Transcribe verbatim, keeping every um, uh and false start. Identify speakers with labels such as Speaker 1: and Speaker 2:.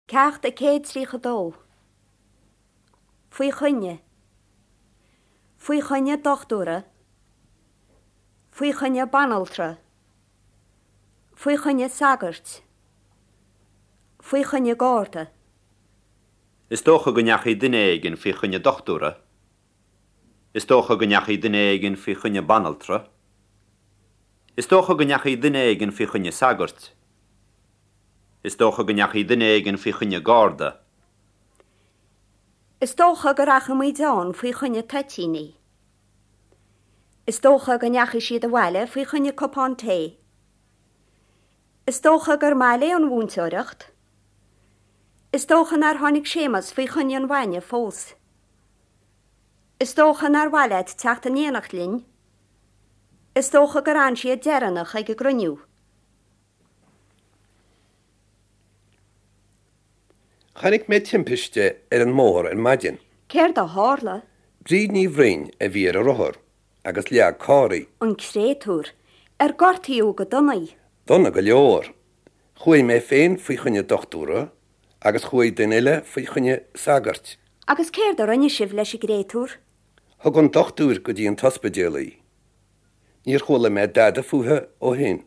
Speaker 1: Ceacht a céad tríocha dó. Faoi choinne. Faoi choinne dochtúra. Faoi choinne banaltra. Faoi choinne sagairt. Faoi choinne garda.
Speaker 2: Is dócha go ndeachaigh duine éigin faoi choinne dochtúra. Is dócha go ndeachaigh duine éigin faoi choinne banaltra. Is dócha go ndeachaigh duine éigin faoi choinne sagairt. Is dócha go ndeachaigh duine éigin faoi choinne garda.
Speaker 1: Is dócha go rachaidh muid ann faoi choinne toitíní. Is dócha go ndeachaigh siad abhaile faoi choinne cupán tae. Is dócha gur maith léi an mhúinteoireacht. Is dócha nár tháinig Séamus faoi choinne an bhainne fós. Is dócha nár mhaith leat teacht in éineacht linn. Is dócha gur fhan siad deireanach ag an gcruinniú.
Speaker 3: Chonaic mé timpiste ar an mbóthar ar maidin.
Speaker 1: Céard a tharla?
Speaker 3: Bríd Ní Bhroin a bhí ar a rothar agus leag carr í.
Speaker 1: An créatúr, ar gortaíodh go dona í?
Speaker 3: Dona go leor. Chuaigh mé féin faoi choinne dochtúra agus chuaigh duine eile faoi choinne sagairt.
Speaker 1: Agus céard a rinne sibh leis an gcréatúr?
Speaker 3: Thug an dochtúir go dtí an t-ospidéal í. Níor chuala mé dada fúithi ó shin.